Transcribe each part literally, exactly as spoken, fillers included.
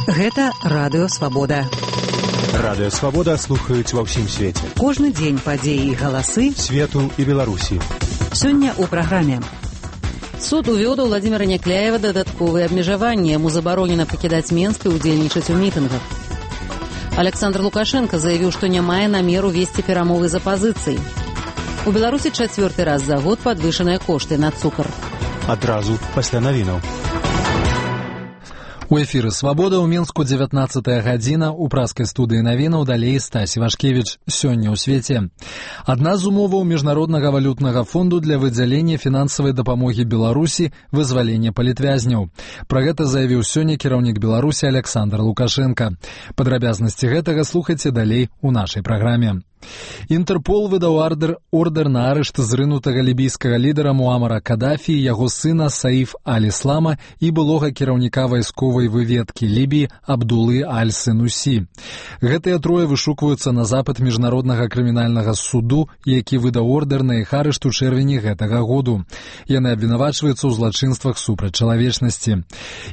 Гэта Радыё Свабода. Радыё Свабода слухаюць ва ўсім свеце. Кожны дзень падзеі і галасы свету і Беларусі. Сёння ў праграме. Суд увёў да Владзіміра Някляева дадатковыя абмежаванні. Яму забаронена пакідаць Менск і ўдзельнічаць у мітынгах. Александр Лукашенко заявіў, што не мае намеру весці перамовы з апазіцыяй. У Беларусі чацвёрты раз за год падвышаныя кошты на цукар. Адразу пасля навінаў. У эфіры «Свабода» ў Мінску дзевятнаццатая гадзіна, у праскай студыі навінаў далей Стась Івашкевіч. Сёння ў свеце. Адна з умоваў Міжнароднага валютнага фонду для выдзялення фінансавай дапамогі Беларусі – вызвалення палітвязняў. Пра гэта заявіў сёння кіраўнік Беларусі Александр Лукашенко. Падрабязнасці гэтага слухайце далей у нашай праграме. Інтэрпол выдаў ордер, ордер на арышт зрынутага лібійскага лідара Муамара Кадафі, яго сына Саиф аль-Іслама і былога кіраўніка вайсковай выведкі Лібіі Абдулы аль-Сенусі. Гэтыя трое вышукваюцца на запыт Міжнароднага крымінальнага суду, які выдаў ордер на іх арышт у чэрвені гэтага году. Яны абвінавачваюцца ў злачынствах супраць чалавечнасці.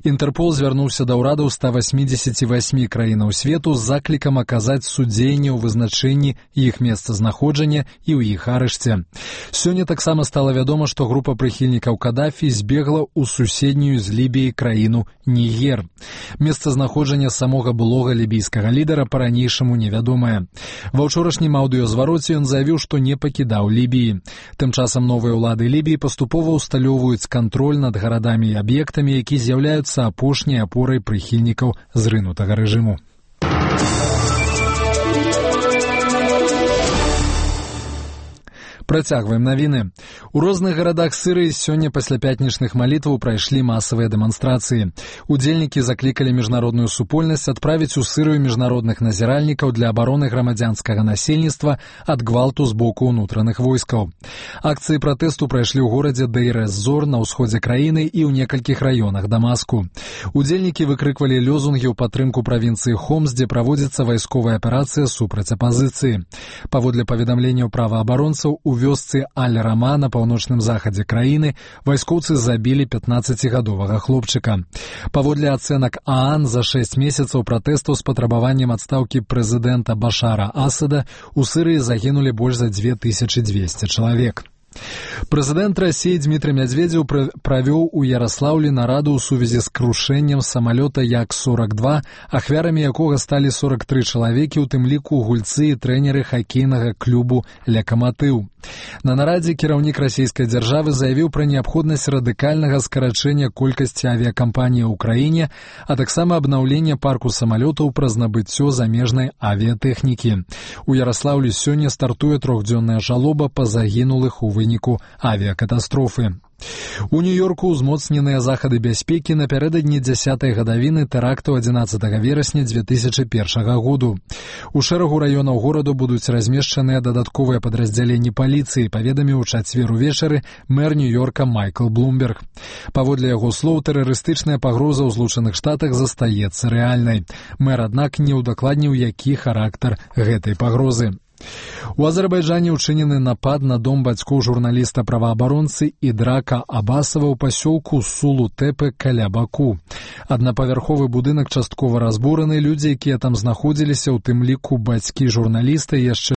Інтэрпол звярнуўся да ўрадаў ста васьмідзесяці васьмі краінаў свету з заклікам аказаць судзейнне ў вызначэнні іх месцазнаходжання і ў іх арышце. Сёння таксама стала вядома, што група прыхільнікаў Кадафі збегла ў суседнюю з Лібіяй краіну Нігер. Месцазнаходжанне самога былога лібійскага лідара па-ранейшаму невядомае. Ва ўчорашнім аўдыёзвароце ён заявіў, што не пакідаў Лібіі. Тым часам новыя ўлады Лібіі паступова ўсталёўваюць кантроль над гарадамі і аб'ектамі, які з'яўляюцца апошняй апорай прыхільнікаў зрынутага рэжыму. Працягваем навіны. У розных гарадах Сірыі сёння пасля пятнічных малітваў прайшлі масавыя дэманстрацыі. Удзельнікі заклікалі міжнародную супольнасць адправіць у Сірыю міжнародных назіральнікаў для абароны грамадзянскага насельніцтва ад гвалту з боку ўнутраных войскаў. Акцыі пратэсту прайшлі ў горадзе Дейр-эз-Зор на ўсходзе краіны і ў некалькіх раёнах Дамаску. Удзельнікі выкрыквалі лёзунгі ў падтрымку правінцыі Хомс, дзе праводзіцца вайсковая аперацыя супраць апазіцыі. Паводле паведамленняў праваабаронцаў, у вёсцы Аль-Рама на паўночным захадзе краіны вайскоўцы забілі пятнаццацігадовага хлопчыка. Паводле ацэнак ААН, за шэсць месяцаў пратэстаў з патрабаваннем адстаўкі прэзідэнта Башара Асада у Сірыі загінулі больш за дзве тысячы дзвесце чалавек. Прэзідэнт Расіі Дмітрый Мядзведзеў правёў у Яраслаўлі нараду ў сувязі з крушэннем самалёта Як сорок два, ахвярамі якога сталі сорок тры чалавекі, у тым ліку гульцы і трэнеры хакейнага клубу «Лакаматыў». На нарадзе кіраўнік расійскай дзяржавы заявіў пра неабходнасць радыкальнага скарачэння колькасці авіякампаній у краіне, а таксама абнаўлення парку самалётаў праз набыццё замежнай авіятэхнікі. У Яраслаўлі сёння стартуе трохдзённая жалоба па загінулых у выніку авіякатастрофы. У Нью-Йорку ўзмоцненыя захады бяспекі напярэдадні дзясятай гадавіны тэракту адзінаццатага верасня дзве тысячы першага году. У шэрагу раёнаў гораду будуць размешчаныя дадатковыя падраздзяленні паліцыі, паведаміў у чацвер увечары мэр Нью-Йорка Майкл Блумберг. Паводле яго слоў, тэрарыстычная пагроза ў Злучаных Штатах застаецца рэальнай. Мэр, аднак, не ўдакладніў, які характар гэтай пагрозы. У Азербайджане ўчынены напад на дом бацькоў журналіста-праваабаронцы Ідрака Абасава ў пасёлку Сулу-Тэпе каля Баку. Аднапавярховы будынак часткова разбураны, людзі, якія там знаходзіліся, у тым ліку бацькі журналіста і яшчэ